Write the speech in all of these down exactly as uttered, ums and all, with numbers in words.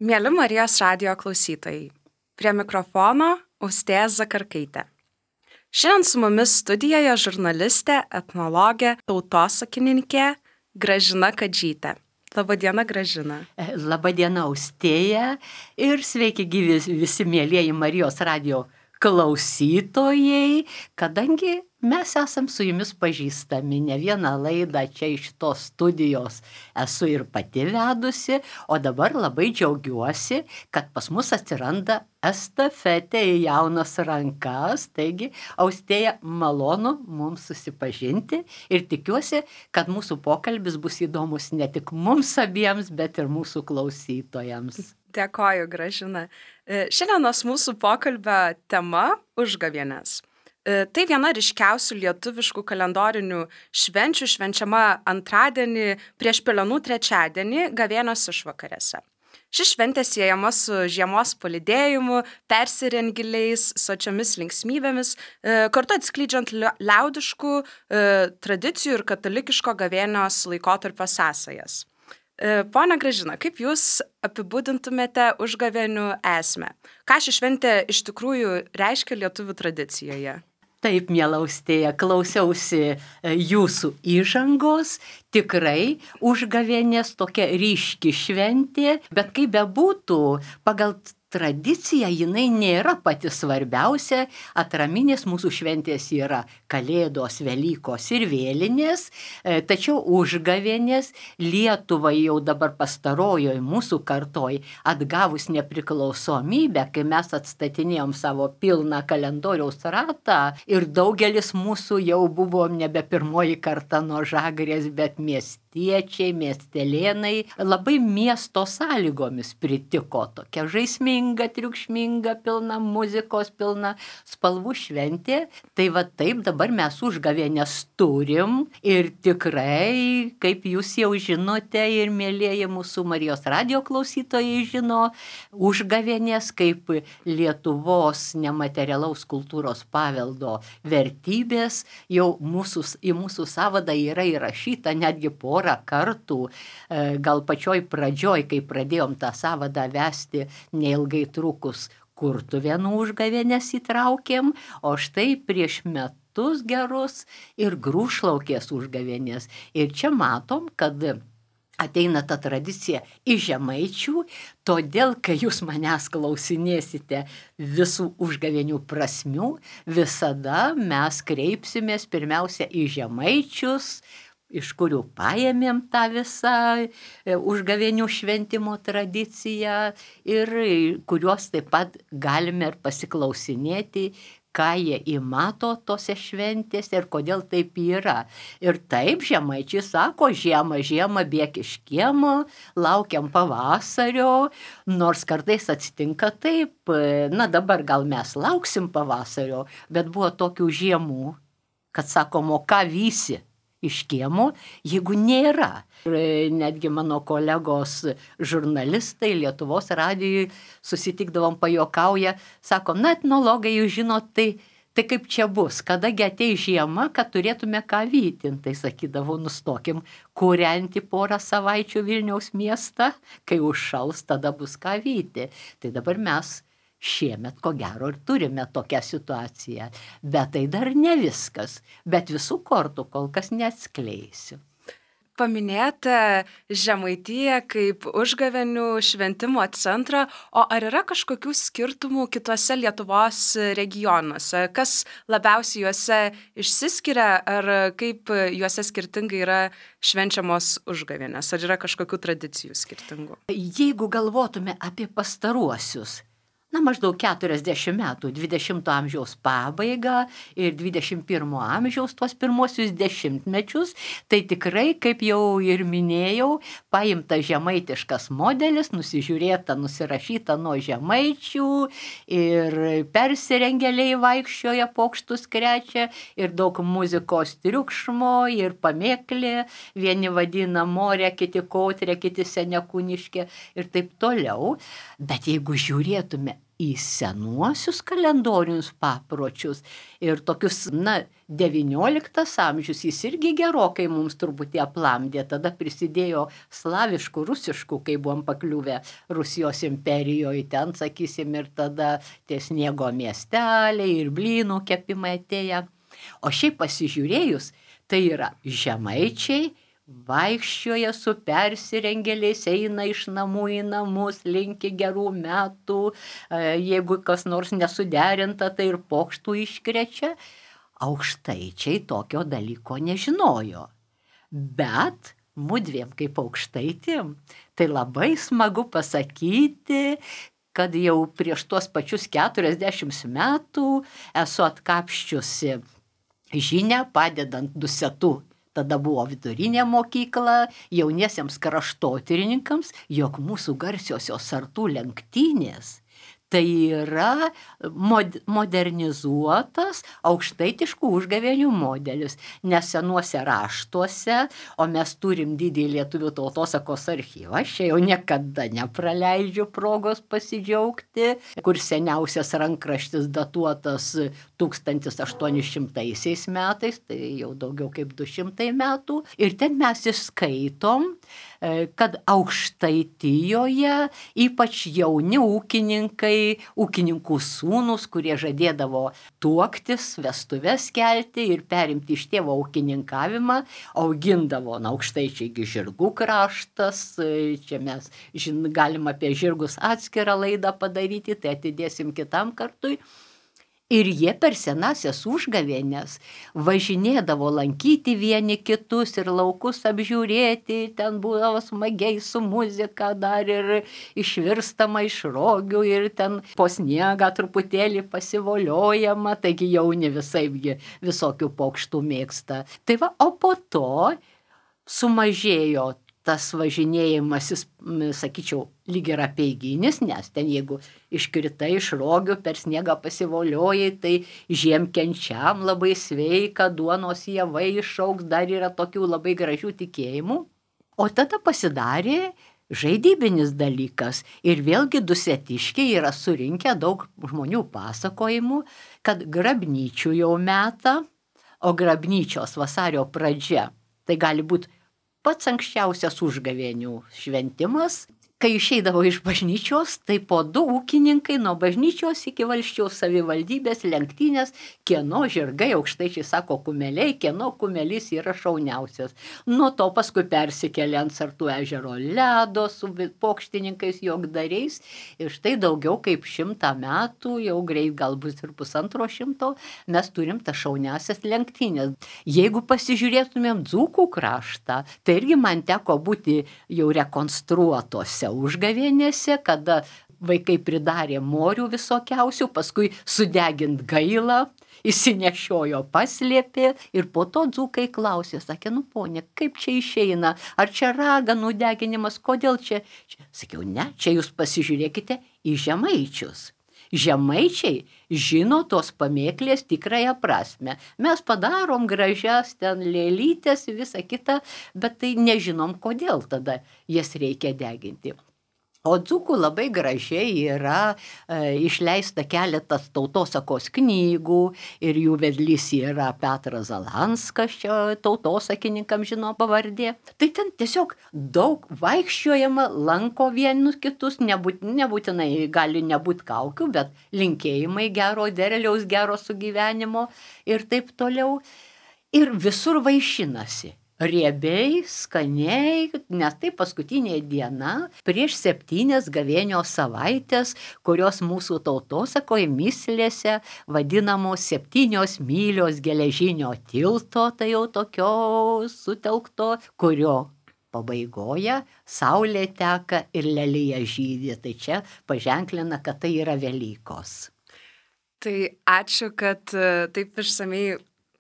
Mieli Marijos radijo klausytojai, prie mikrofono Austėja Zakarkaitė. Šiandien su mumis studijoje žurnalistė, etnologė, tautosakininkė Gražina Kadžytė. Labadiena, Gražina. Labadiena, Austėja, ir sveiki gyvi visi mielieji Marijos radijo klausytojai, kadangi mes esam su jumis pažįstami, ne vieną laidą čia iš tos studijos esu ir pati vedusi, o dabar labai džiaugiuosi, kad pas mus atsiranda estafetė į jaunas rankas, taigi Austėja, malonu mums susipažinti ir tikiuosi, kad mūsų pokalbis bus įdomus ne tik mums abiems, bet ir mūsų klausytojams. Dėkoju, Gražina. Šiandienos mūsų pokalbio tema – užgavėnės. Tai viena ryškiausių lietuviškų kalendorinių švenčių, švenčiama antradienį prieš Pelenų trečiadienį gavėnios išvakarėse. Ši šventė siejama su žiemos palydėjimu, persirengiliais, sočiomis linksmybėmis, kartu atskleidžiant liaudiškų tradicijų ir katalikiško gavėnios laikotarpio sąsajas. Pone Gražina, kaip Jūs apibūdintumėte užgavėnių esmę? Ką ši šventė iš tikrųjų reiškia lietuvių tradicijoje? Taip, miela Austėja, klausiausi jūsų įžangos, tikrai užgavėnės tokia ryški šventė, bet kaip bebūtų, pagal tradicija jinai nėra pati svarbiausia, atraminės mūsų šventės yra Kalėdos, Velykos ir Vėlinės, tačiau užgavėnės Lietuvai jau dabar pastarojoj mūsų kartoj atgavus nepriklausomybę, kai mes atstatinėjom savo pilną kalendoriaus ratą ir daugelis mūsų jau buvo nebe pirmoji karta nuo Žagrės, bet miestiečiai, miestelėnai, labai miesto sąlygomis pritiko tokia žaisminga, triukšminga, pilna muzikos, pilna spalvų šventė. Tai va taip dabar mes užgavėnės turim ir tikrai, kaip jūs jau žinote ir mielieji mūsų Marijos radijo klausytojai žino, užgavėnės kaip Lietuvos nematerialaus kultūros paveldo vertybės jau mūsų, į mūsų sąvadą yra įrašyta netgi porą kartų, gal pačioj pradžioj, kai pradėjom tą sąvadą vesti, neilgai trukus Kurtuvėnų užgavėnės įtraukėm, o štai prieš metus gerus ir Grūšlaukės užgavėnės. Ir čia matom, kad ateina ta tradicija iš žemaičių, todėl, kai jūs manęs klausinėsite visų užgavėnių prasmių, visada mes kreipsimės pirmiausia į žemaičius, iš kurių paėmėm tą visą užgavėnių šventimo tradiciją ir kuriuos taip pat galime ir pasiklausinėti, ką jie įmato tose šventėse ir kodėl taip yra. Ir taip žemaičiai sako, žiemą, žiemą bėk iš kiemo, laukiam pavasario, nors kartais atsitinka taip, na dabar gal mes lauksim pavasario, bet buvo tokių žiemų, kad sakom, o ką vysi iš kiemo, jeigu nėra. Ir netgi mano kolegos žurnalistai Lietuvos radijui susitikdavom pajuokauja, sako, na etnologai, jūs žinot, tai, tai kaip čia bus, kadagi ateis žiema, kad turėtume ką vyti. Tai sakydavau, nustokim kūrenti porą savaičių Vilniaus miestą, kai užšals, tada bus ką vyti. Tai dabar mes šiemet, ko gero, ir turime tokią situaciją. Bet tai dar ne viskas. Bet visų kortų kol kas neatskleisiu. Paminėjote Žemaitiją kaip užgavėnių šventimo centrą, o ar yra kažkokių skirtumų kitose Lietuvos regionuose? Kas labiausiai juose išsiskiria, ar kaip juose skirtingai yra švenčiamos užgavėnės? Ar yra kažkokių tradicijų skirtingų? Jeigu galvotume apie pastaruosius, na, maždaug keturiasdešimt metų, dvidešimto amžiaus pabaigą ir dvidešimt pirmo amžiaus tuos pirmosius dešimtmečius, tai tikrai, kaip jau ir minėjau, paimta žemaitiškas modelis, nusižiūrėta, nusirašyta nuo žemaičių ir persirengėliai vaikščioja, pokštus krečia ir daug muzikos triukšmo ir pamėklė, vieni vadina morė, kiti kautrė, kiti senekūniškė ir taip toliau. Bet jeigu žiūrėtume į senuosius kalendorinius papročius ir tokius, na, devynioliktas amžius, jis irgi gerokai mums truputį aplamdė, tada prisidėjo slaviškų, rusiškų, kai buvom pakliuvę Rusijos imperijoje, ten, sakysim, ir tada tie sniego miesteliai ir blynų kepimai atėję. O šiaip pasižiūrėjus, tai yra žemaičiai, vaikščioja su persirengėliais, eina iš namų į namus, linki gerų metų, jeigu kas nors nesuderinta, tai ir pokštų iškrečia. Aukštaičiai tokio dalyko nežinojo. Bet mudviem kaip aukštaitėm, tai labai smagu pasakyti, kad jau prieš tuos pačius keturiasdešimt metų esu atkapščiusi žinią padedant Dusetų. Tada buvo vidurinė mokykla jauniesiems kraštotyrininkams, jog mūsų garsiosios sartų lenktynės tai yra mod, modernizuotas aukštaitiškų užgavėnių modelis, nes senuose raštuose, o mes turim didįjį lietuvių tautosakos archyvą, aš jau niekada nepraleidžiu progos pasidžiaugti, kur seniausias rankraštis datuotas tūkstantis aštuoni šimtaisiais metais, tai jau daugiau kaip du šimtai metų, ir ten mes išskaitom, kad Aukštaitijoje ypač jauni ūkininkai, ūkininkų sūnus, kurie žadėdavo tuoktis, vestuves kelti ir perimti iš tėvo ūkininkavimą, augindavo, na, aukštaičiai žirgų kraštas, čia mes žin, galim apie žirgus atskirą laidą padaryti, tai atidėsim kitam kartui. Ir jie per senasias užgavėnes važinėdavo lankyti vieni kitus ir laukus apžiūrėti, ten būdavo smagiai su muzika, dar ir išvirstama iš rogių ir ten po sniegą truputėlį pasivoliojama, taigi jauni visaipgi visokių pokštų mėgsta. Tai va, o po to sumažėjo tas važinėjimasis, sakyčiau, lyg ir apeiginis, nes ten jeigu iškritai iš rogių, per sniegą pasivoliojai, tai žiemkenčiam labai sveika, duonos javai išaugs, dar yra tokių labai gražių tikėjimų. O tada pasidarė žaidybinis dalykas ir vėlgi dusetiškiai yra surinkę daug žmonių pasakojimų, kad grabnyčių jau metą, o grabnyčios vasario pradžia, tai gali būti pats anksčiausias užgavėnių šventimas, kai išeidavo iš bažnyčios, tai po du ūkininkai nuo bažnyčios iki Valsčiaus savivaldybės lenktynės, kieno žirgai, aukštaičiai sako kumeliai, kieno kumelys yra šauniausias. Nuo to paskui persikėlė ant Sartų ežero ledo su pokštininkais jogdariais ir štai daugiau kaip šimtą metų, jau greit galbūt ir pusantro šimto, mes turim tą šauniausias lenktynės. Jeigu pasižiūrėtumėm Dzūkų kraštą, tai irgi man teko būti jau rekonstruotose užgavėnėse, kada vaikai pridarė morių visokiausių, paskui sudegint gailą, įsinešiojo, paslėpė ir po to dzūkai klausė, sakė, nu ponė, kaip čia išeina, ar čia raganų deginimas, kodėl čia? Sakiau, ne, čia jūs pasižiūrėkite į žemaičius. Žemaičiai žino tos pamėklės tikrąją prasme. Mes padarom gražias ten lėlytės, visą kitą, bet tai nežinom, kodėl tada jas reikia deginti. O dzūkų labai gražiai yra e, išleista keletas tautosakos knygų ir jų vedlys yra Petras Zalanskas, čia tautosakininkam žino pavardė. Tai ten tiesiog daug vaikščiojama, lanko vienus kitus, nebūt, nebūtinai gali nebūti kaukių, bet linkėjimai gero derliaus, gero sugyvenimo ir taip toliau. Ir visur vaišinasi. Riebiai, skaniai, nes tai paskutinė diena prieš septynias gavėnios savaitės, kurios mūsų tautosakoje myslėse vadinamos septynios mylios geležinio tilto, tai jau tokio sutelkto, kurio pabaigoje saulė teka ir lelija žydi. Tai čia paženklina, kad tai yra Velykos. Tai ačiū, kad taip išsamei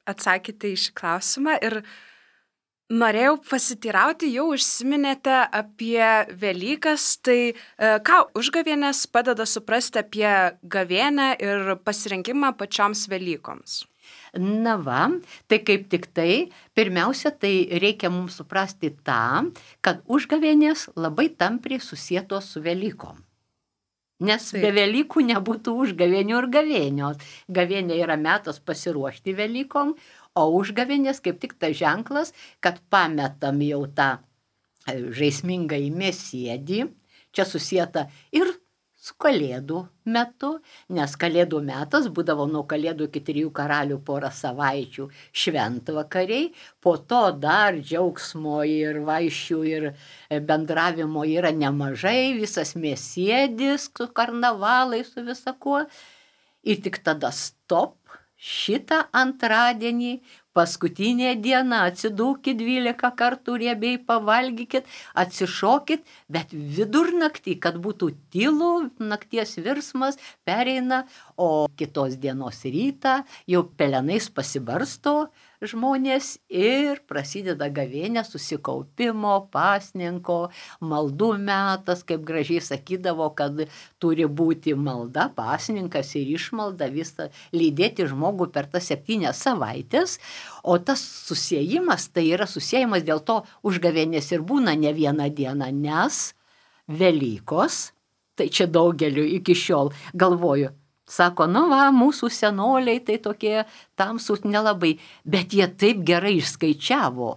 atsakėte į šį klausimą ir norėjau pasitirauti, jau užsiminėte apie Velykas, tai ką užgavėnės padeda suprasti apie gavėnę ir pasirinkimą pačioms Velykoms? Na va, tai kaip tik tai, pirmiausia, tai reikia mums suprasti tą, kad užgavėnės labai tampriai susietos su Velykom. Nes Taip. be Velykų nebūtų užgavėnių ir gavėnios. Gavėnė yra metas pasiruošti Velykom, o užgavėnės kaip tik tas ženklas, kad pametam jau tą žaismingą į mėsėdį. Čia susieta ir su Kalėdų metu, nes Kalėdų metas būdavo nuo Kalėdų iki trijų karalių porą savaičių šventvakariai, po to dar džiaugsmo ir vaišių ir bendravimo yra nemažai, visas mėsėdis su karnavalai, su visakuo. Ir tik tada stop, šitą antradienį, paskutinė diena, atsidūkit dvylika kartų riebiai, pavalgykit, atsišokit, bet vidurnaktį, kad būtų tylu, nakties virsmas pereina, o kitos dienos rytą jau pelenais pasibarsto žmonės ir prasideda gavėnė, susikaupimo, pasninko, maldų metas, kaip gražiai sakydavo, kad turi būti malda, pasninkas ir išmalda, visą lydėti žmogų per tas septynias savaitės. O tas susiejimas, tai yra susiejimas, dėl to užgavėnės ir būna ne vieną dieną, nes Velykos, tai čia daugeliu iki šiol galvoju, sako, nu va, mūsų senoliai tai tokie tamsūs nelabai, bet jie taip gerai išskaičiavo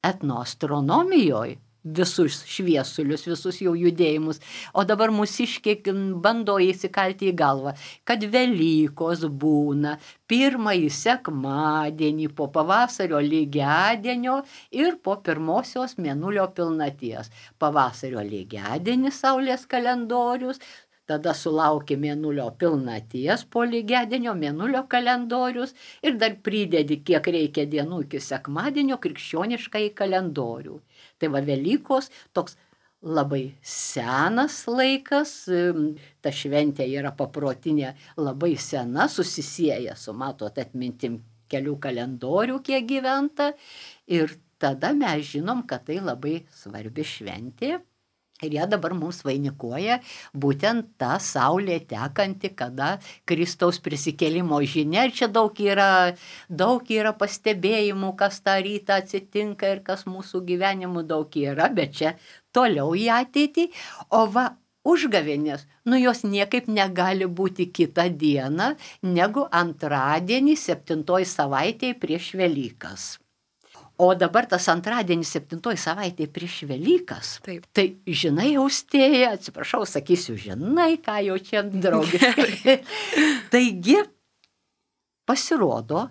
etnoastronomijoje visus šviesulius, visus jau judėjimus. O dabar mūsiškiai bando įsikalti į galvą, kad Velykos būna pirmąjį sekmadienį po pavasario lygiadienio ir po pirmosios mėnulio pilnaties. Pavasario lygiadienis Saulės kalendorius, tada sulaukia mėnulio pilnaties po lygiadienio, mėnulio kalendorius ir dar pridedi, kiek reikia dienų iki sekmadienio krikščioniškai kalendorių. Tai va Velykos toks labai senas laikas, ta šventė yra paprotinė labai sena, susisieja su, matot, atmintim kelių kalendorių, kiek gyventa, ir tada mes žinom, kad tai labai svarbi šventė. Ir ją dabar mums vainikuoja būtent ta saulė tekanti, kada Kristaus prisikėlimo žinia. Ir čia daug yra, daug yra pastebėjimų, kas tą rytą atsitinka ir kas mūsų gyvenimų daug yra, bet čia toliau į ateitį. O va, užgavėnės, nu jos niekaip negali būti kitą dieną negu antradienį septintoj savaitėje prieš Velykas. O dabar tas antradienis septintoj savaitėje prieš Velykas. Taip. Tai žinai, Austėja, atsiprašau, sakysiu, žinai, ką jau čia draugiškai. Taigi, pasirodo,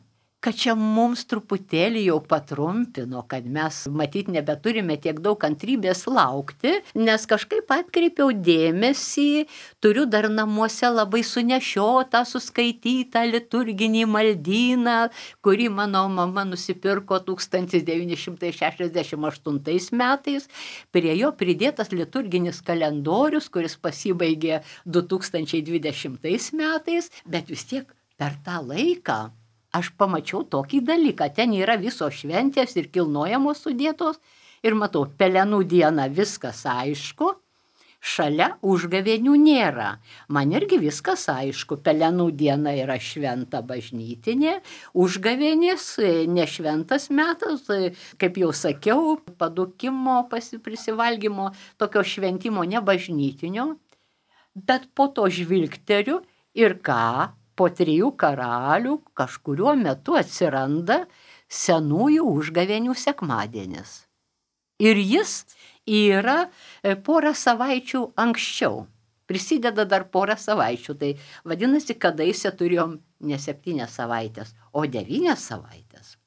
kad čia mums truputėlį jau patrumpino, kad mes matyt nebeturime tiek daug kantrybės laukti, nes kažkaip atkreipiau dėmesį, turiu dar namuose labai sunešiotą, suskaitytą liturginį maldyną, kurį mano mama nusipirko tūkstantis devyni šimtai šešiasdešimt aštuntais metais. Prie jo pridėtas liturginis kalendorius, kuris pasibaigė du tūkstančiai dvidešimtais metais, bet vis tiek per tą laiką aš pamačiau tokį dalyką, ten yra visos šventės ir kilnojamos sudėtos ir matau, pelenų diena viskas aišku, šalia užgavėnių nėra. Man irgi viskas aišku, pelenų diena yra šventa bažnytinė, užgavėnės nešventas metas, kaip jau sakiau, padukimo, prisivalgymo, tokio šventimo nebažnytinio, bet po to žvilgteriu ir ką? Po trijų karalių kažkuriuo metu atsiranda senųjų užgavėnių sekmadienis. Ir jis yra porą savaičių anksčiau. Prisideda dar porą savaičių. Tai vadinasi, kadaise turėjom ne septynias savaitės, o devynias savaitės.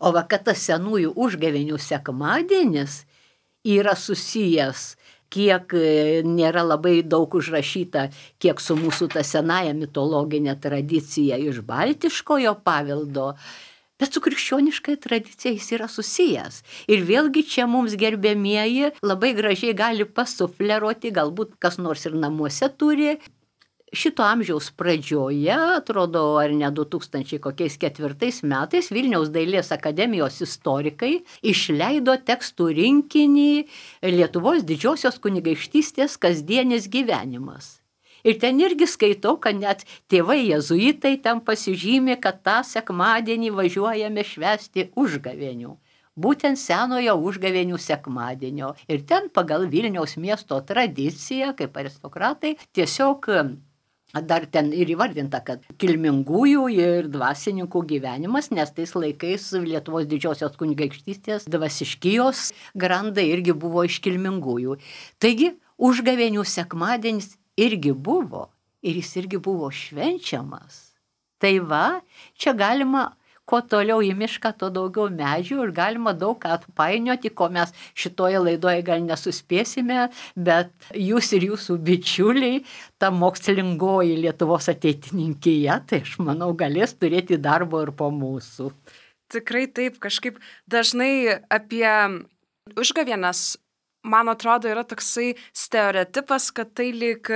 O va, kad tas senųjų užgavėnių sekmadienis yra susijęs, kiek nėra labai daug užrašyta, kiek su mūsų ta senaja mitologinė tradicija iš baltiškojo paveldo, bet su krikščioniškai tradicija jis yra susijęs. Ir vėlgi čia mums gerbėmieji labai gražiai gali pasufleruoti, galbūt kas nors ir namuose turi. Šito amžiaus pradžioje, atrodo, ar ne du tūkstančiai kokiais ketvirtais metais, Vilniaus dailės akademijos istorikai išleido tekstų rinkinį Lietuvos didžiosios kunigaikštystės kasdienis gyvenimas. Ir ten irgi skaitau, kad net tėvai jėzuitai ten pasižymė, kad tą sekmadienį važiuojame švęsti užgavėnių. būtent senojo užgavėnių sekmadienio. Ir ten pagal Vilniaus miesto tradiciją, kaip aristokratai, tiesiog dar ten ir įvardinta, kad kilmingųjų ir dvasininkų gyvenimas, nes tais laikais Lietuvos didžiosios kunigaikštystės dvasiškijos grandai irgi buvo iš kilmingųjų. Taigi, užgavėnių sekmadienis irgi buvo ir jis irgi buvo švenčiamas. Tai va, čia galima kuo toliau į mišką, to daugiau medžių ir galima daug ką atpainioti, ko mes šitoje laidoje gal nesuspėsime, bet jūs ir jūsų bičiuliai, ta mokslingoji Lietuvos ateitininkija, tai aš manau, galės turėti darbo ir po mūsų. Tikrai taip, kažkaip dažnai apie užgavėnes, man atrodo, yra toksai stereotipas, kad tai lyg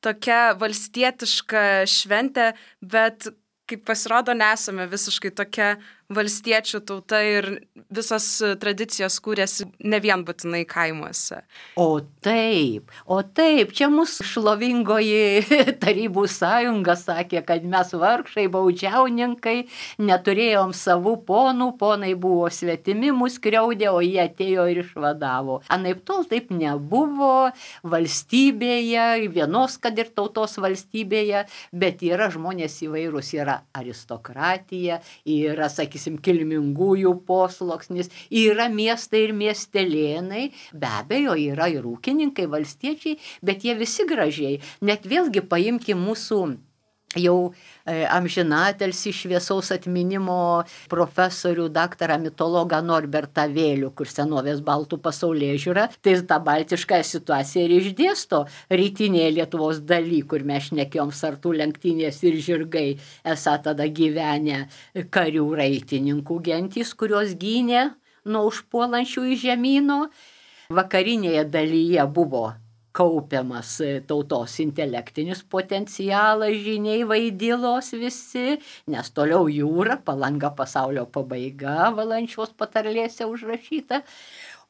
tokia valstietiška šventė, bet kaip pasirodo, nesame visiškai tokia valstiečių tauta ir visas tradicijos kūrėsi ne vien būtinai kaimuose. O taip, o taip, čia mūsų šlovingoji Tarybų sąjunga sakė, kad mes vargšai, baudžiauninkai, neturėjom savų ponų, ponai buvo svetimi, mus skriaudė, o jie atėjo ir išvadavo. Anaip tol taip nebuvo valstybėje, vienos kad ir tautos valstybėje, bet yra žmonės įvairūs, yra aristokratija, yra, sakysim, kilmingųjų posluoksnis, yra miestai ir miestelėnai, be abejo, yra ir ūkininkai, valstiečiai, bet jie visi gražiai. Net vėlgi paimkim mūsų jau e, amžinatelsi šviesaus atminimo profesorių, daktarą mitologą Norbertą Vėlių, kur senovės baltų pasaulėžiūra, tai tą baltišką situaciją ir išdėsto rytinėje Lietuvos daly, kur mes šnekėjom sartų lenktynės ir žirgai, esą tada gyvenę karių raitininkų gentys, kurios gynė nuo užpuolančių į žemyno. Vakarinėje dalyje buvo kaupiamas tautos intelektinis potencialas, žiniai, vaidilos visi, nes toliau jūra, Palanga pasaulio pabaiga, Valančiaus patarlėse užrašyta.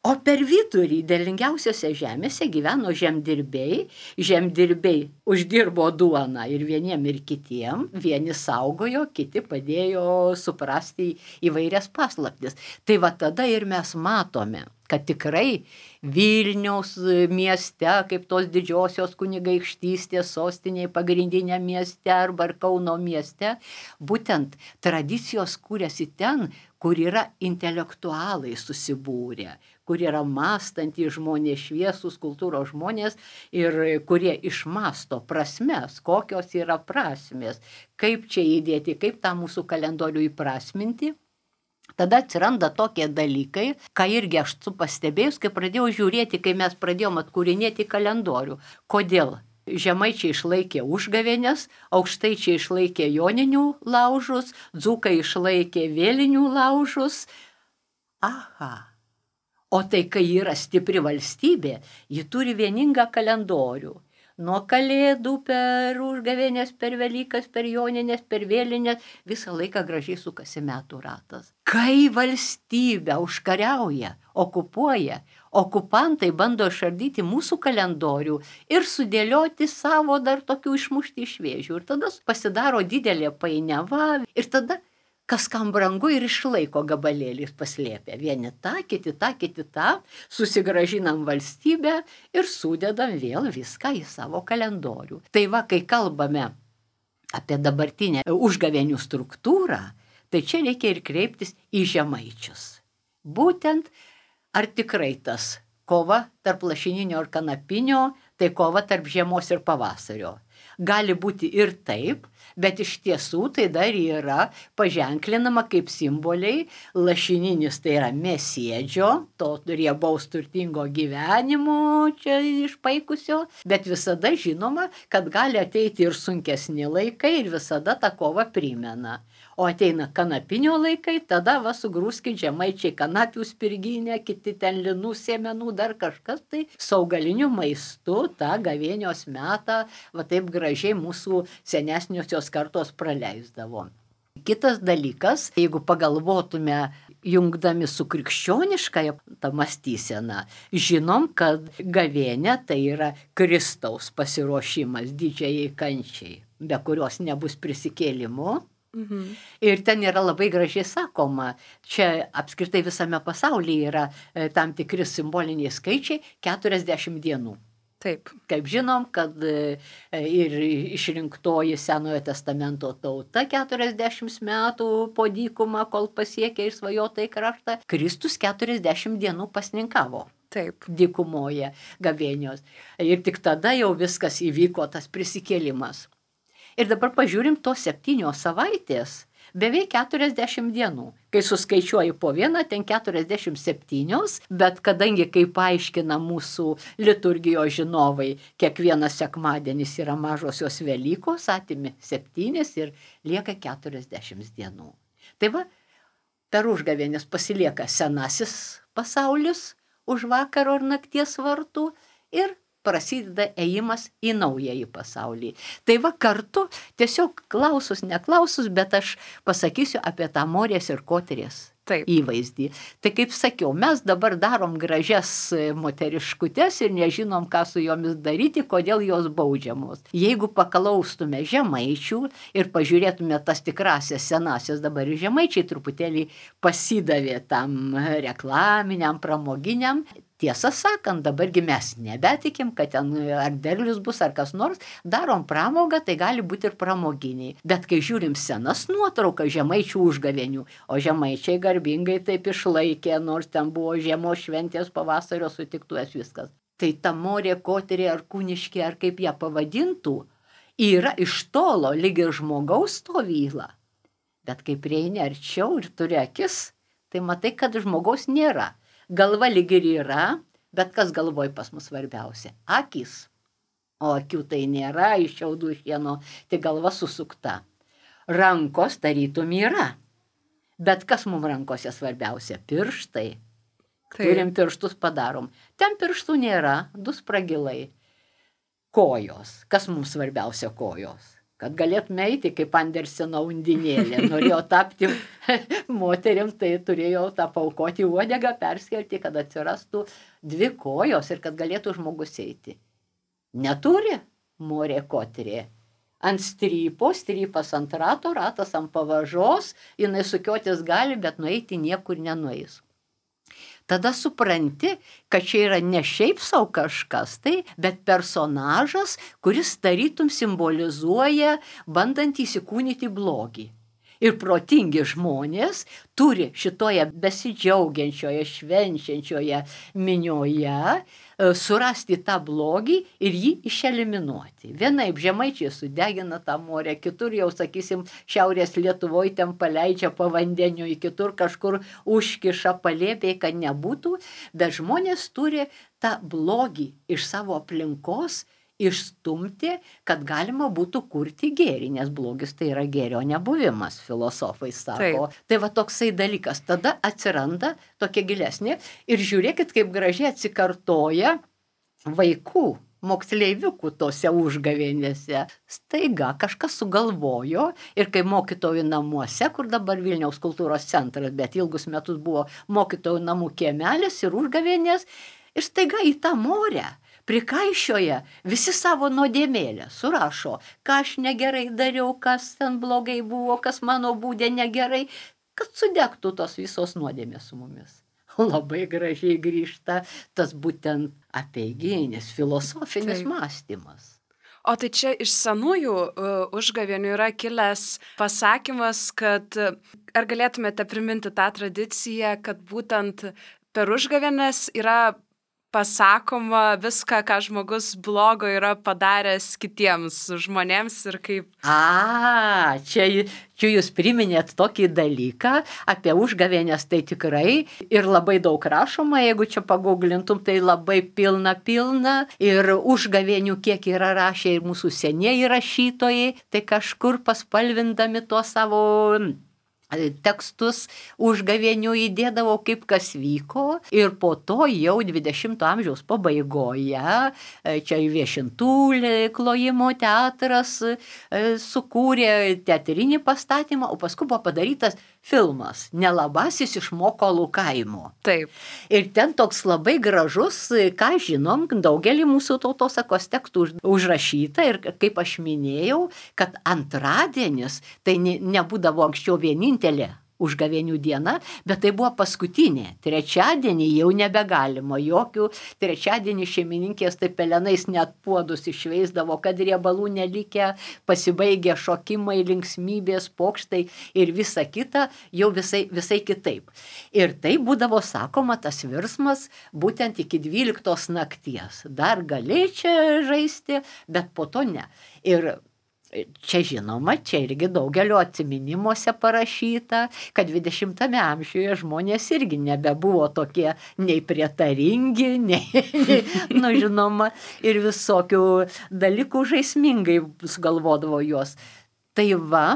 O per vidurį derlingiausiose žemėse gyveno žemdirbiai, žemdirbiai uždirbo duoną ir vieniem ir kitiem, vieni saugojo, kiti padėjo suprasti įvairias paslaptis. Tai va tada ir mes matome, kad tikrai Vilniaus mieste, kaip tos didžiosios kunigaikštystės sostinėje, pagrindinė mieste arba Kauno mieste, būtent tradicijos kūrėsi ten, kur yra intelektualai susibūrę, kur yra mąstantys žmonės, šviesūs kultūros žmonės ir kurie išmasto prasmes, kokios yra prasmės, kaip čia įdėti, kaip tą mūsų kalendorių įprasminti. Tada atsiranda tokie dalykai, ką irgi aš su pastebėjus, kai pradėjau žiūrėti, kai mes pradėjom atkūrinėti kalendorių. Kodėl? Žemaičiai išlaikė užgavėnes, aukštaičiai išlaikė joninių laužus, dzūkai išlaikė vėlinių laužus. Aha. O tai, kai yra stipri valstybė, ji turi vieningą kalendorių. Nuo kalėdų per užgavėnės, per Velykas, per joninės, per vėlinės, visą laiką gražiai sukasi metų ratas. Kai valstybė užkariauja, okupuoja, okupantai bando išardyti mūsų kalendorių ir sudėlioti savo dar tokių išmušti iš vėžių. Ir tada pasidaro didelė painiava ir tada kas kam brangu ir išlaiko gabalėlis paslėpę. Vieni tą, kiti tą, kiti tą, susigražinam valstybę ir sudedam vėl viską į savo kalendorių. Tai va, kai kalbame apie dabartinę užgavėnių struktūrą, tai čia reikia ir kreiptis į žemaičius. Būtent, ar tikrai tas kova tarp lašininio ir kanapinio, tai kova tarp žiemos ir pavasario. Gali būti ir taip, bet iš tiesų tai dar yra paženklinama kaip simboliai. Lašininis tai yra mėsėdžio, to riebaus turtingo gyvenimo čia išpaikusio, bet visada žinoma, kad gali ateiti ir sunkesni laikai ir visada tą kovą primena. O ateina kanapinio laikai, tada va sugrūskit žemaičiai kanapių spirginę, kiti ten linų sėmenų, dar kažkas, tai saugaliniu maistu tą gavėnios metą va taip gražiai mūsų senesniosios kartos praleisdavo. Kitas dalykas, jeigu pagalvotume jungdami su krikščioniškąja ta mąstysena, žinom, kad gavėnė tai yra Kristaus pasiruošimas didžiajai kančiai, be kurios nebus prisikėlimo. Mhm. Ir ten yra labai gražiai sakoma, čia apskritai visame pasaulyje yra e, tam tikri simboliniai skaičiai keturiasdešimt dienų. Taip. Kaip žinom, kad e, ir išrinktoji Senojo testamento tauta keturiasdešimt metų po dykumą, kol pasiekė išsvajotąjį kraštą, Kristus keturiasdešimt dienų pasninkavo. Taip. Dykumoje gavėnios. Ir tik tada jau viskas įvyko, tas prisikėlimas. Ir dabar pažiūrim tos septynios savaitės, beveik keturiasdešimt dienų. Kai suskaičiuoju po vieną, ten keturiasdešimt septynios, bet kadangi, kaip paaiškina mūsų liturgijos žinovai, kiekvienas sekmadienis yra mažosios Velykos, atimi septynis ir lieka keturiasdešimt dienų. Tai va, per užgavėnes pasilieka senasis pasaulis už vakaro ir nakties vartų ir prasideda ėjimas į naująjį pasaulį. Tai va kartu, tiesiog klausus, neklausus, bet aš pasakysiu apie tą Morės ir Kotrės Taip. įvaizdį. Tai kaip sakiau, mes dabar darom gražias moteriškutes ir nežinom, ką su jomis daryti, kodėl jos baudžiamos. Jeigu paklaustume žemaičių ir pažiūrėtume tas tikrasias senasias, dabar ir žemaičiai truputėlį pasidavė tam reklaminiam, pramoginiam. Tiesą sakant, dabargi mes nebetikim, kad ten ar derlius bus, ar kas nors, darom pramogą, tai gali būti ir pramoginiai. Bet kai žiūrim senas nuotraukas žemaičių užgavėnių, o žemaičiai garbingai taip išlaikė, nors ten buvo žiemos šventės, pavasario sutiktuvės viskas. Tai ta Morė, Kotrė ar Kūniškė, ar kaip ją pavadintų, yra iš tolo lyg ir žmogaus stovyla. Bet kai prieini arčiau ir turi akis, tai matai, kad žmogaus nėra. Galva lyg ir yra, bet kas galvoj pas mus svarbiausia? Akis. O akių tai nėra, iš šiaudų šieno, tai galva susukta. Rankos tarytum yra. Bet kas mums rankose svarbiausia? Pirštai. Taip. Turim pirštus padarom. Ten pirštų nėra, du spragilai. Kojos. Kas mums svarbiausia kojos? Kad galėtume eiti kaip Anderseno undinėlė. Norėjau tapti moterim, tai turėjau tą paukoti uodegą, perskelti, kad atsirastų dvi kojos ir kad galėtų žmogus eiti. Neturi Morė Kotrė. Ant strypo, strypas ant rato, ratas ant pavažos, jinai sukiotis gali, bet nueiti niekur nenueis. Tada supranti, kad čia yra ne šiaip sau kažkas, tai, bet personažas, kuris tarytum simbolizuoja bandant įsikūnyti blogį. Ir protingi žmonės turi šitoje besidžiaugiančioje, švenčiančioje minioje surasti tą blogį ir jį išeliminuoti. Vienaip žemaičiai sudegina tą Morę, kitur jau, sakysim, šiaurės Lietuvoje ten paleidžia pavandeniu, kitur kažkur užkiša palėpiai, kad nebūtų, bet žmonės turi tą blogį iš savo aplinkos išstumti, kad galima būtų kurti gėrį, nes blogis tai yra gėrio nebuvimas, filosofai sako. Taip. Tai va toksai dalykas. Tada atsiranda tokia gilesnė ir žiūrėkit, kaip gražiai atsikartoja vaikų, moksleiviukų tose užgavėnėse. Staiga kažkas sugalvojo ir kai mokytojų namuose, kur dabar Vilniaus kultūros centras, bet ilgus metus buvo mokytojų namų kiemelis ir užgavėnės, ir staiga į tą Morę prikaišioja visi savo nuodėmėlę, surašo, ką aš negerai dariau, kas ten blogai buvo, kas mano būdė negerai, kad sudegtų tos visos nuodėmės su mumis. Labai gražiai grįžta tas būtent apeiginis, filosofinis Taip. Mąstymas. O tai čia iš senųjų uh, užgavėnių yra kilęs pasakymas, kad ar galėtumėte priminti tą tradiciją, kad būtent per užgavėnes yra pasakoma viską, ką žmogus blogo yra padaręs kitiems žmonėms ir kaip... A, čia, čia jūs priminėt tokį dalyką apie užgavėnes, tai tikrai ir labai daug rašoma, jeigu čia paguglintum, tai labai pilna pilna ir užgavėnių kiek yra rašę ir mūsų senieji rašytojai, tai kažkur paspalvindami tuo savo... tekstus užgavėnių įdėdavo, kaip kas vyko ir po to jau dvidešimto amžiaus pabaigoje čia Viešintų klojimo teatras sukūrė teatrinį pastatymą, o paskui buvo padarytas filmas Nelabasis iš Mokolų kaimo. Taip. Ir ten toks labai gražus, ką žinom, daugelį mūsų tautosakos tekstų užrašyta ir kaip aš minėjau, kad antradienis tai ne, nebūdavo anksčiau vienintelė užgavėnių diena, bet tai buvo paskutinė. Trečiadienį jau nebegalima jokių. Trečiadienį šeimininkės tai pelenais net puodus išveisdavo, kad riebalų nelikę, pasibaigė šokimai, linksmybės, pokštai ir visa kita jau visai, visai kitaip. Ir tai būdavo sakoma tas virsmas būtent iki dvyliktos nakties. Dar gali čia žaisti, bet po to ne. Ir čia žinoma, čia irgi daugelio atsiminimuose parašyta, kad dvidešimtame amžiuje žmonės irgi nebebuvo tokie nei prietaringi, nei, nei nu žinoma, ir visokių dalykų žaismingai sugalvodavo juos. Tai va,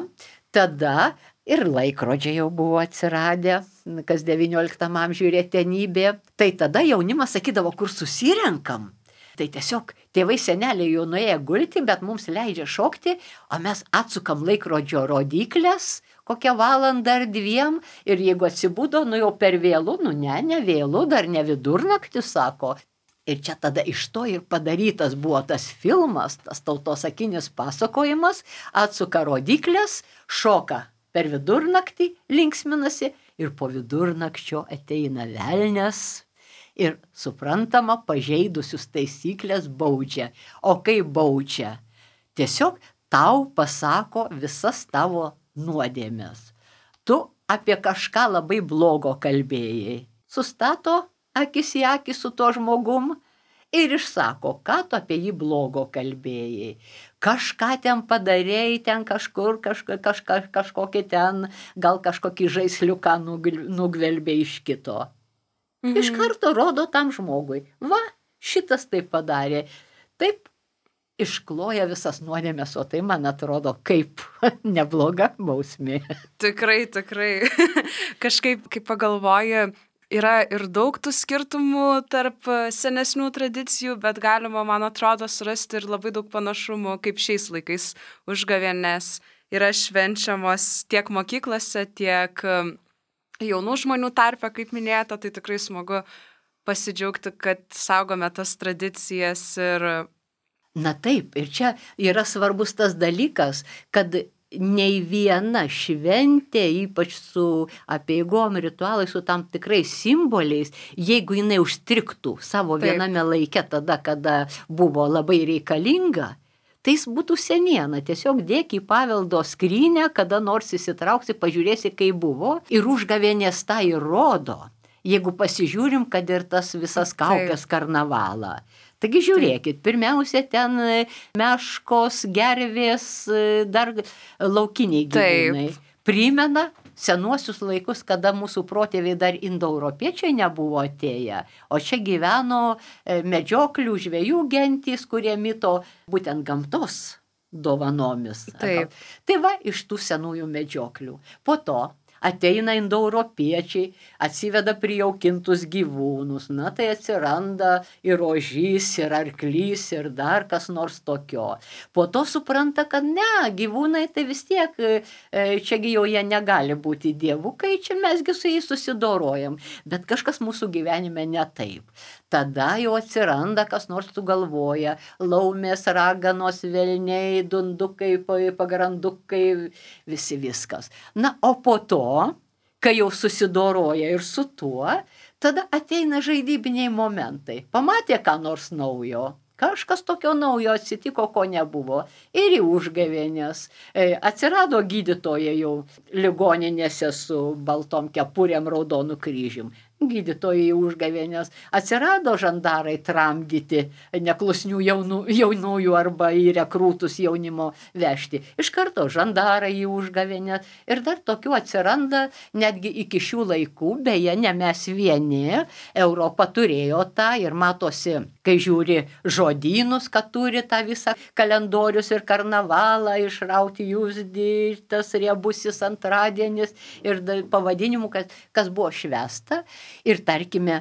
tada ir laikrodžiai jau buvo atsiradę, kas devynioliktam amžiuje retenybė. Tai tada jaunimas sakydavo, kur susirenkam. Tai tiesiog tėvai seneliai jau nuėję gulti, bet mums leidžia šokti, o mes atsukam laikrodžio rodyklės kokią valandą ar dviem ir jeigu atsibudo, nu jau per vėlų, nu ne, ne vėlų, dar ne vidurnaktis, sako. Ir čia tada iš to ir padarytas buvo tas filmas, tas tautosakinis pasakojimas, atsuka rodyklės, šoka per vidurnaktį, linksminasi ir po vidurnakčio ateina velnias. Ir suprantama, pažeidusius taisyklės baudžia. O kaip baudžia? Tiesiog tau pasako visas tavo nuodėmes. Tu apie kažką labai blogo kalbėjai. Sustato akis į akį su to žmogum ir išsako, ką tu apie jį blogo kalbėjai. Kažką ten padarėjai, ten kažkur, kažka, kažka, kažkokį ten, gal kažkokį žaisliuką nugvelbė iš kito. Mhm. Iš karto rodo tam žmogui. Va, šitas taip padarė. Taip iškloja visas nuodėmes, o tai, man atrodo, kaip nebloga bausmė. Tikrai, tikrai. Kažkaip, kai pagalvoji, yra ir daug tų skirtumų tarp senesnių tradicijų, bet galima, man atrodo, surasti ir labai daug panašumų, kaip šiais laikais užgavėnės yra švenčiamos tiek mokyklose, tiek jaunų žmonių tarpe, kaip minėta, tai tikrai smagu pasidžiaugti, kad saugome tas tradicijas ir... Na taip, ir čia yra svarbus tas dalykas, kad nei viena šventė, ypač su apeigom, ritualais, su tam tikrais simboliais, jeigu jinai užstriktų savo taip. Viename laike tada, kada buvo labai reikalinga, tai jis būtų seniena, tiesiog dėk į paveldo skrynę, kada nors įsitrauksi, pažiūrėsi, kaip buvo, ir užgavėnės tą įrodo, jeigu pasižiūrim, kad ir tas visas kaukės karnavalą. Taigi žiūrėkit, pirmiausia, ten meškos, gervės, dar laukiniai gyvūnai. Primena senuosius laikus, kada mūsų protėviai dar indoeuropiečiai nebuvo atėję, o čia gyveno medžioklių žvejų gentys, kurie mito būtent gamtos dovanomis. Taip. Tai va, iš tų senųjų medžioklių. Po to ateina indoeuropiečiai, atsiveda prijaukintus gyvūnus, na tai atsiranda ir ožys, ir arklys, ir dar kas nors tokio. Po to supranta, kad ne, gyvūnai tai vis tiek, čiagi jau jie negali būti dievukai, čia mesgi su jais susidorojam, bet kažkas mūsų gyvenime ne taip. Tada jau atsiranda, kas nors sugalvoja, laumės, raganos, velniai, dundukai, pagrandukai, visi viskas. Na, o po to, kai jau susidoroja ir su tuo, tada ateina žaidybiniai momentai. Pamatė ką nors naujo, kažkas tokio naujo atsitiko, ko nebuvo. Ir į užgavėnės. Atsirado gydytojai jau ligoninėse su baltom kepurėm, raudonų kryžium. Gydytojai užgavėnės. Atsirado žandarai tramdyti neklusnių jaunų, jaunųjų arba į rekrūtus jaunimo vežti. Iš karto žandarai į užgavėnės. Ir dar tokių atsiranda netgi iki šių laikų, beje, ne mes vieni. Europa turėjo tą ir matosi, kai žiūri žodynus, kad turi tą visą kalendorius ir karnavalą, išrauti jūsdį, tas riebusis antradienis ir pavadinimų, kas, kas buvo švęsta. Ir tarkime,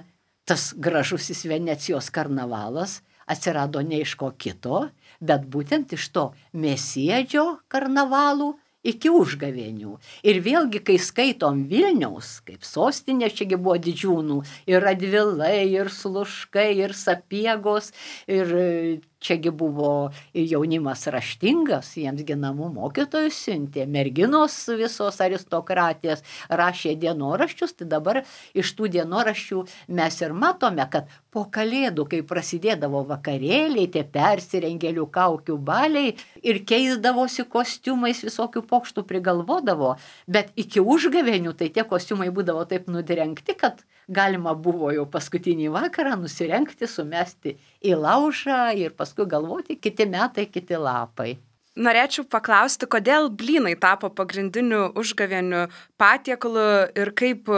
tas gražusis Venecijos karnavalas atsirado ne iš ko kito, bet būtent iš to mėsiedžio karnavalų iki užgavėnių. Ir vėlgi, kai skaitom Vilniaus, kaip sostinė, čiagi buvo didžiūnų, ir Radvilai, ir Sluškai, ir Sapiegos, ir čiagi buvo jaunimas raštingas, jiems ginamų mokytojų siuntė, merginos visos aristokratės rašė dienoraščius, tai dabar iš tų dienoraščių mes ir matome, kad po Kalėdų, kai prasidėdavo vakarėliai, tie persirengėlių kaukių baliai ir keisdavosi kostiumais, visokių pokštų prigalvodavo, bet iki užgavėnių tai tie kostiumai būdavo taip nudrengti, kad galima buvo jau paskutinį vakarą nusirengti, sumesti į laužą ir paskui galvoti kiti metai, kiti lapai. Norėčiau paklausti, kodėl blynai tapo pagrindiniu užgavėnių patiekalu ir kaip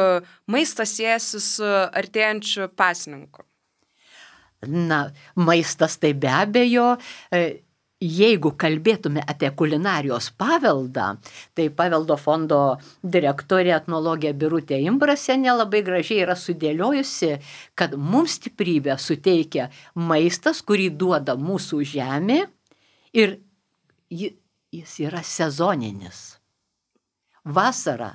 maistas siejasi su artėjančiu pasninku? Na, maistas tai be abejo, jeigu kalbėtume apie kulinarijos paveldą, tai paveldo fondo direktorė etnologė Birutė Imbrasienė labai gražiai yra sudėliojusi, kad mums stiprybę suteikia maistas, kurį duoda mūsų žemė ir jis yra sezoninis. Vasarą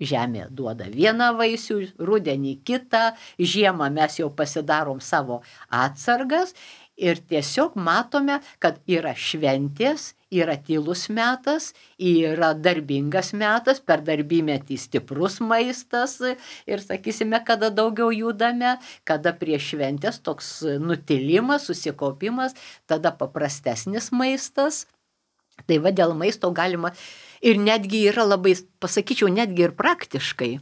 žemė duoda vieną vaisių, rudenį kitą, žiemą mes jau pasidarom savo atsargas ir tiesiog matome, kad yra šventės, yra tylus metas, yra darbingas metas, per darbymetį stiprus maistas ir sakysime, kada daugiau judame, kada prie šventės toks nutilimas, susikaupimas, tada paprastesnis maistas. Tai va dėl maisto galima ir netgi yra labai, pasakyčiau, netgi ir praktiškai.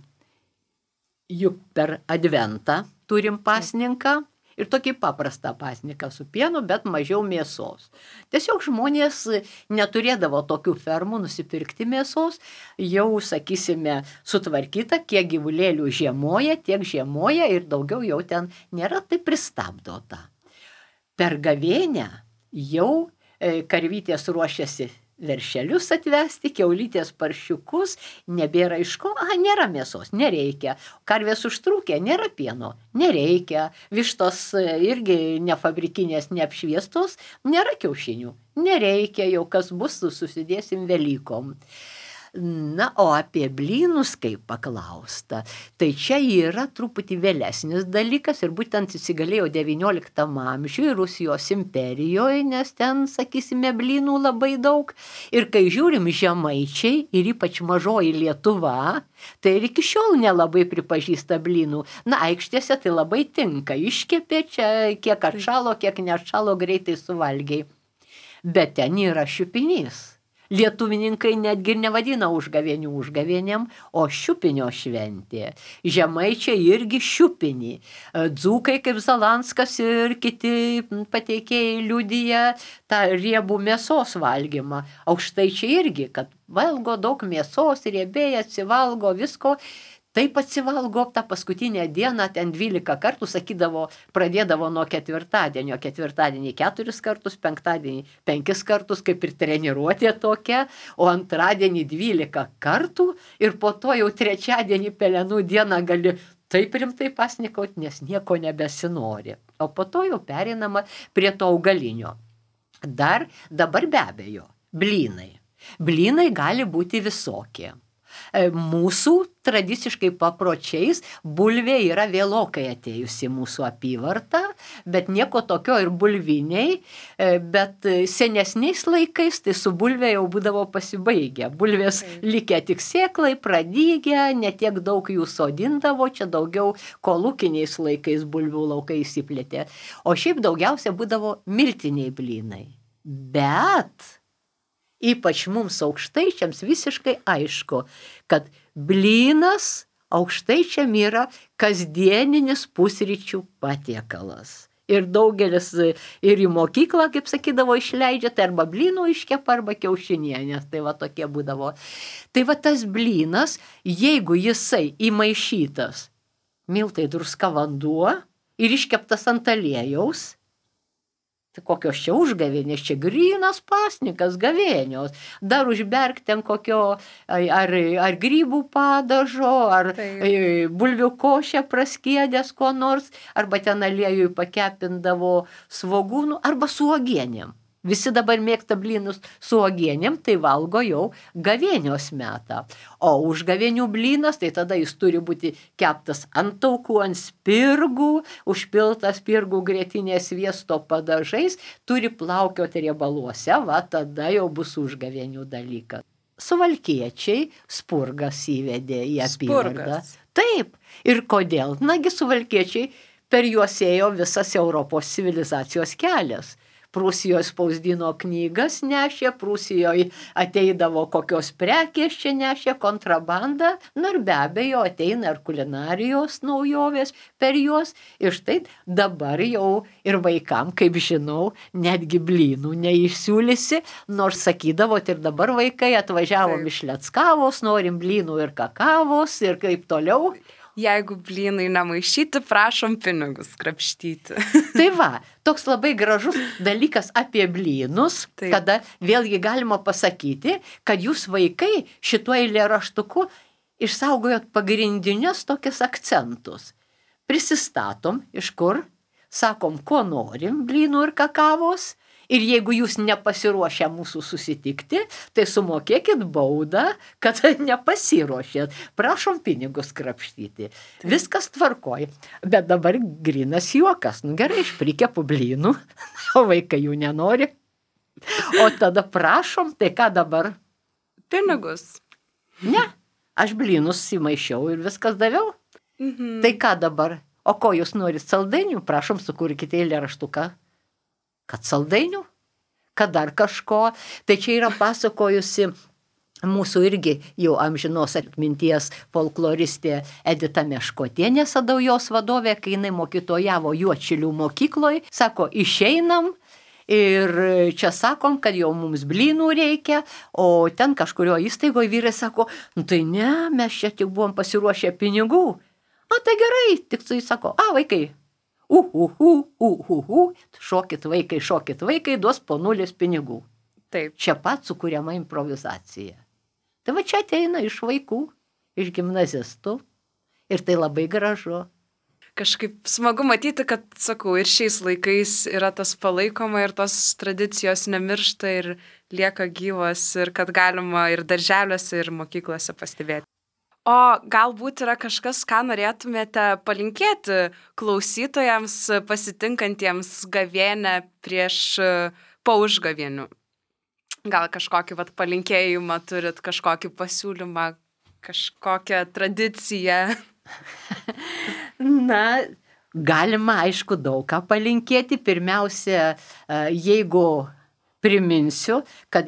Juk per adventą turim pasninką ir tokį paprastą pasninką su pienu, bet mažiau mėsos. Tiesiog žmonės neturėdavo tokių fermų nusipirkti mėsos, jau, sakysime, sutvarkyta, kiek gyvulėlių žiemoja, tiek žiemoja ir daugiau jau ten nėra, tai pristabdo tą. Per gavėnią jau karvytės ruošiasi veršelius atvesti, kiaulytės paršiukus, nebėra iš ko, a, nėra mėsos, nereikia. Karvės užtrūkė, nėra pieno, nereikia. Vištos irgi nefabrikinės, neapšviestos, nėra kiaušinių, nereikia, jau kas bus, susidėsim Velykom. Na, o apie blynus, kaip paklausta, tai čia yra truputį vėlesnis dalykas ir būtent įsigalėjo devynioliktam amžiuje Rusijos imperijoje, nes ten, sakysime, blynų labai daug. Ir kai žiūrim žemaičiai ir ypač mažoji Lietuva, tai ir iki šiol nelabai pripažįsta blynų. Na, aikštėse tai labai tinka, iškepė čia, kiek atšalo, kiek neatšalo, greitai suvalgiai. Bet ten yra šiupinys. Lietuvininkai netgi nevadina užgavėnių užgavėnėm, o šiupinio šventė. Žemaičiai irgi šiupinį. Dzūkai kaip Zalanskas ir kiti pateikėjai liudija tą riebų mėsos valgymą. Aukštaičiai irgi, kad valgo daug mėsos, riebiai atsivalgo visko. Taip atsivalgo tą paskutinę dieną, ten dvylika kartų, sakydavo, pradėdavo nuo ketvirtadienio, ketvirtadienį keturis kartus, penktadienį penkis kartus, kaip ir treniruotė tokia, o antradienį dvylika kartų ir po to jau trečiadienį pelenų dieną gali taip rimtai pasnikauti, nes nieko nebesinori. O po to jau perinama prie to augalinio. Dar dabar be abejo, blynai. Blynai gali būti visokie. Mūsų tradiciškai papročiais bulvė yra vėlokai atėjusi mūsų apyvartą, bet nieko tokio ir bulviniai, bet senesniais laikais tai su bulvė jau būdavo pasibaigę. Bulvės likę tik sėklai, pradygę, netiek daug jų sodindavo, čia daugiau kolūkiniais laikais bulvių laukai įsiplėtė. O šiaip daugiausia būdavo miltiniai blynai. Bet ypač mums aukštaičiams visiškai aišku, kad blynas aukštaičiam yra kasdieninis pusryčių patiekalas. Ir daugelis ir į mokyklą, kaip sakydavo, išleidžia, tai arba blynų iškepa, arba kiaušinienės, tai va tokie būdavo. Tai va tas blynas, jeigu jisai įmaišytas miltai, druska, vanduo ir iškeptas ant aliejaus, tai kokios čia užgavėnės, čia grynas pasnikas gavėnios. Dar užberk ten kokio ar, ar grybų padažo, ar tai bulvių košę praskiedęs ko nors, arba ten aliejui pakepindavo svogūnų, arba su uogienėm. Visi dabar mėgsta blynus su uogienėm, tai valgo jau gavėnios metą. O užgavėnių blynas, tai tada jis turi būti keptas ant taukų, ant spirgų, užpiltas spirgų grietinės sviesto padažais, turi plaukioti riebaluose, va tada jau bus užgavėnių dalykas. Suvalkiečiai spurgas įvedė į apygardą. Taip. Ir kodėl? Nagi suvalkiečiai per juos ėjo visas Europos civilizacijos kelias. Prūsijoje spausdino knygas nešė, Prūsijoje ateidavo kokios prekės čia nešė, kontrabandą, na ir be abejo ateina ir kulinarijos naujovės per juos. Ir štai dabar jau ir vaikam, kaip žinau, netgi blynų neišsiūlysi, nors sakydavot ir dabar vaikai atvažiavom iš Leckavos, norim blynų ir kakavos ir kaip toliau. Jeigu blynai nemaišyti, prašom pinigus krapštyti. Tai va, toks labai gražus dalykas apie blynus, Taip. Kada vėlgi galima pasakyti, kad jūs vaikai šituo eilėraštuku išsaugojot pagrindinius tokius akcentus. Prisistatom, iš kur, sakom, ko norim, blynų ir kakavos. Ir jeigu jūs nepasiruošę mūsų susitikti, tai sumokėkit baudą, kad nepasiruošėt. Prašom pinigus krapštyti. Viskas tvarkoj. Bet dabar grynas juokas. Nu gerai, aš prikepu blynų, o vaikai jų nenori. O tada prašom, tai ką dabar? Pinigus. Ne, aš blynus įmaišiau ir viskas daviau. Mhm. Tai ką dabar? O ko jūs norit saldainių? Prašom, sukurkite eilėraštuką. Kad saldainių, kad dar kažko. Tai čia yra pasakojusi mūsų irgi jau amžinos atminties folkloristė Edita Meškotienė, Sadaujos vadovė, kai jinai mokytojavo Juodšilių mokykloje, sako, išeinam ir čia sakom, kad jau mums blynų reikia, o ten kažkurio įstaigoje vyrai sako, nu tai ne, mes čia tik buvom pasiruošę pinigų. O tai gerai, tik tai sako, a vaikai, uhuhu, uhuhu, šokit vaikai, šokit vaikai, duos po nulis pinigų. Taip. Čia pat sukuriama improvizacija. Tai va čia ateina iš vaikų, iš gimnazistų ir tai labai gražu. Kažkaip smagu matyti, kad, sakau, ir šiais laikais yra tas palaikoma ir tos tradicijos nemiršta ir lieka gyvos ir kad galima ir darželiuose, ir mokyklose pastebėti. O galbūt yra kažkas, ką norėtumėte palinkėti klausytojams pasitinkantiems gavėnią prieš po užgavėnių? Gal kažkokį vat, palinkėjimą turit, kažkokį pasiūlymą, kažkokią tradiciją? Na, galima aišku daug ką palinkėti. Pirmiausia, jeigu priminsiu, kad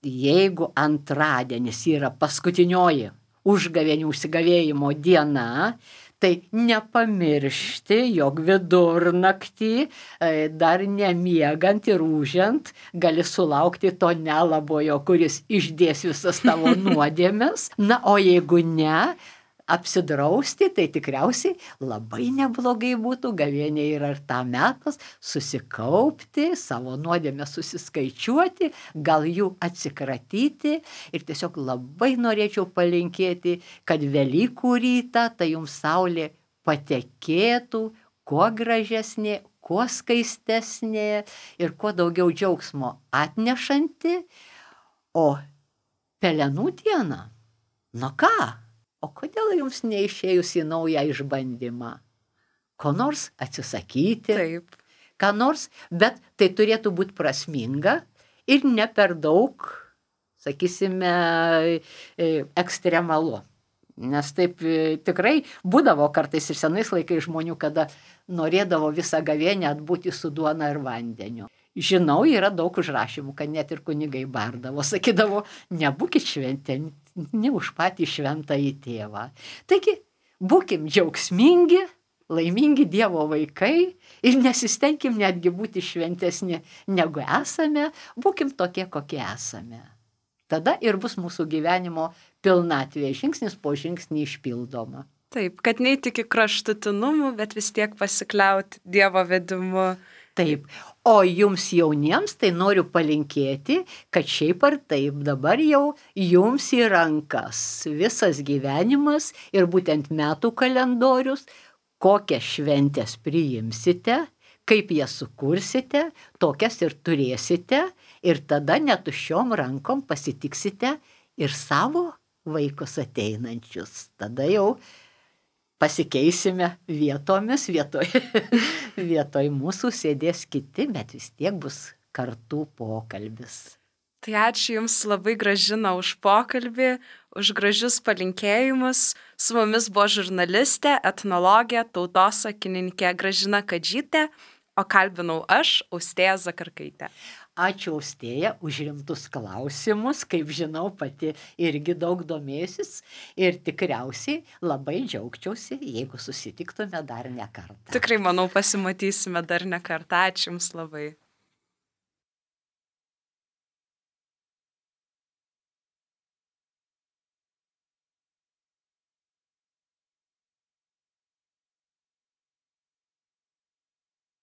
jeigu antradienis yra paskutinioji užgavėnių užsigavėjimo diena, tai nepamiršti, jog vidurnaktį, dar nemiegant ir ūžiant, gali sulaukti to nelabojo, kuris išdės visas tavo nuodėmes. Na, o jeigu ne, apsidrausti, tai tikriausiai labai neblogai būtų, gavėnė yra ir tam metas, susikaupti, savo nuodėmę susiskaičiuoti, gal jų atsikratyti ir tiesiog labai norėčiau palinkėti, kad Velykų rytą tai jums saulė patekėtų, kuo gražesnė, kuo skaistesnė ir kuo daugiau džiaugsmo atnešanti, o pelenų diena, nu ką? O kodėl jums neišėjus į naują išbandymą? Ko nors atsisakyti, Taip. ką nors, bet tai turėtų būti prasminga ir ne per daug, sakysime, ekstremalu. Nes taip tikrai būdavo kartais ir senais laikais žmonių, kada norėdavo visą gavėnę atbūti su duona ir vandeniu. Žinau, yra daug užrašymų, kad net ir kunigai bardavo, sakydavo, nebūkit šventė, ne už patį šventąjį tėvą. Taigi, būkim džiaugsmingi, laimingi Dievo vaikai ir nesistengim netgi būti šventesni negu esame, būkim tokie, kokie esame. Tada ir bus mūsų gyvenimo pilnatvė, žingsnis po žingsnį išpildoma. Taip, kad ne tik į kraštutinumų, bet vis tiek pasikliauti Dievo vedimu. Taip, o jums jauniems tai noriu palinkėti, kad šiaip ar taip dabar jau jums į rankas visas gyvenimas ir būtent metų kalendorius, kokias šventės priimsite, Kaip jas sukursite, tokias ir turėsite ir tada netuščiom rankom pasitiksite ir savo vaikus ateinančius. Tada jau pasikeisime vietomis, vietoj, vietoj mūsų sėdės kiti, bet vis tiek bus kartų pokalbis. Tai ačiū Jums labai, Gražina, už pokalbį, už gražius palinkėjimus. Su mumis buvo žurnalistė, etnologė, tautosakininkė Gražina Kadžytė, o kalbinau aš, Austėja Zakarkaitė. Ačiū, Austėja, už rimtus klausimus, kaip žinau, pati irgi daug domėsis ir tikriausiai labai džiaugčiausi, jeigu susitiktume dar ne kartą. Tikrai, manau, pasimatysime dar ne kartą. Ačiū Jums labai.